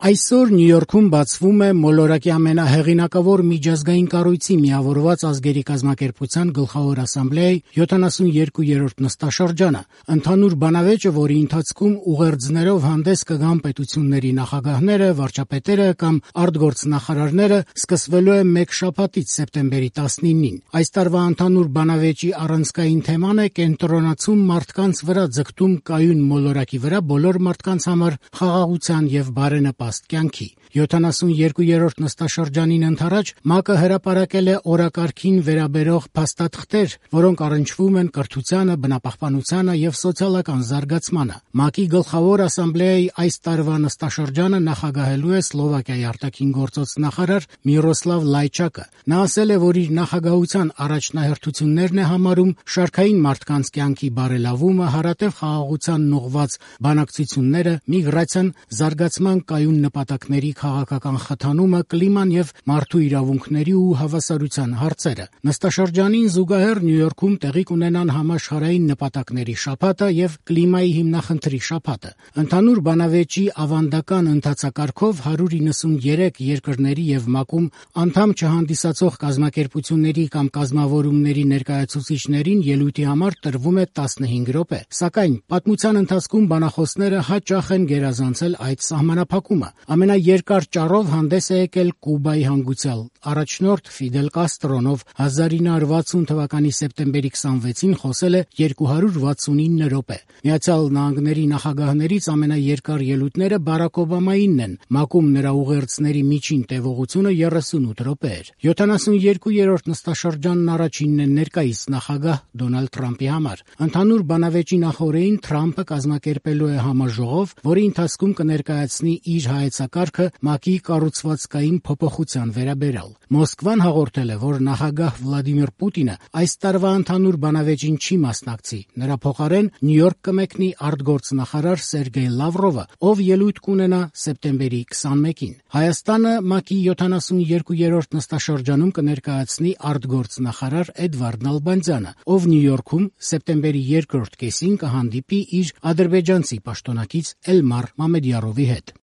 Այսօր Նյու Յորքում բացվում է մոլորակի ամենահեղինակավոր միջազգային կառույցի Միավորված ազգերի կազմակերպության գլխավոր ասամբլեայի 72-րդ նստաշրջանը։ Ընդհանուր բանավեճը, որի ընթացքում ուղերձներով հանդես կգան պետությունների նախագահները, վարչապետերը կամ արտգործնախարարները, սկսվելու է մեկ շաբաթից սեպտեմբերի 19-ին։ Այս տարվա ընդհանուր բանավեճի առանցքային թեման է կենտրոնացում մարդկանց վրա ձգտում կայուն մոլորակի վրա բոլոր մարդկանց համար խաղաղության եւ բարենպաստ կյանքի։ 72-րդ նստաշրջանին ընդառաջ ՄԱԿ-ը հրապարակել է օրակարգին վերաբերող փաստաթղթեր, որոնք առնչվում են կրթությանը, բնապահպանությանը եւ սոցիալական զարգացմանը։ ՄԱԿ-ի գլխավոր ասամբլեայի այս տարվա նստաշրջանը նախագահելու է Սլովակիայի արտաքին գործոց նախարար Միրոսլավ Լայչակը։ Նա ասել է, որ իր նախագահության առաջնահերթություններն է համարում շարքային մարդկանց կյանքի բարելավումը, հարատև խաղաղությանն ուղղված բանակցությունները, միգրացիան, զարգացման կայուն նպատակների քաղաքական խթանումը, կլիման եւ մարդու իրավունքների ու հավասարության հարցերը։ Նստաշրջանին զուգահեռ Նյու Յորքում տեղի կունենան համաշխարհային նպատակների շաբաթը եւ կլիմայի հիմնախնդրի շաբաթը։ Ընդհանուր բանավեճի ավանդական ընթացակարգով 193 երկրների եւ ՄԱԿ-ում անդամ չհանդիսացող կազմակերպությունների կամ կազմավորումների ներկայացուցիչներին ելույթի համար տրվում է 15 րոպե։ Սակայն պատմության ընթացքում բանախոսները հաճախ են գերազանցել այդ սահմանափակումը։ Ամենաերկար ճառով հանդես է եկել Կուբայի հանգուցյալ առաջնորդ Ֆիդել Կաստրոն, ով 1960 թվականի սեպտեմբերի 26-ին խոսել է 269 րոպե։ Միացյալ Նահանգների նախագահներից ամենաերկար ելույթները Բարաք Օբամայինն են։ ՄԱԿ-ում նրա ուղերձների միջին տևողությունը 38 րոպե էր։ 72-րդ նստաշրջանն առաջինն է ներկայիս նախագահ Դոնալդ Թրամփի համար։ Ընդհանուր բանավեճի նախօրեին Թրամփը կազմակերպելու է համաժողով, որի ընթացքում կներկայացնի իր հայեցակարգը ՄԱԿ-ի կառուցվածքային փոփոխության վերաբերյալ։ Մոսկվան հաղորդել է, որ նախագահ Վլադիմիր Պուտինը այս տարվա ընդհանուր բանավեճին չի մասնակցի։ Նրա փոխարեն Նյու Յորք կմեկնի արտգործնախարար Սերգեյ Լավրովը, ով ելույթ կունենա սեպտեմբերի 21-ին։ Հայաստանը ՄԱԿ-ի 72-րդ նստաշրջանում կներկայացնի արտգործնախարար Էդվարդ Նալբանդյանը, ով Նյու Յորքում սեպտեմբերի 2-րդ կեսին կհանդիպի իր ադրբեջանցի պաշտոնակից Էլմար Մամեդյարովի հետ։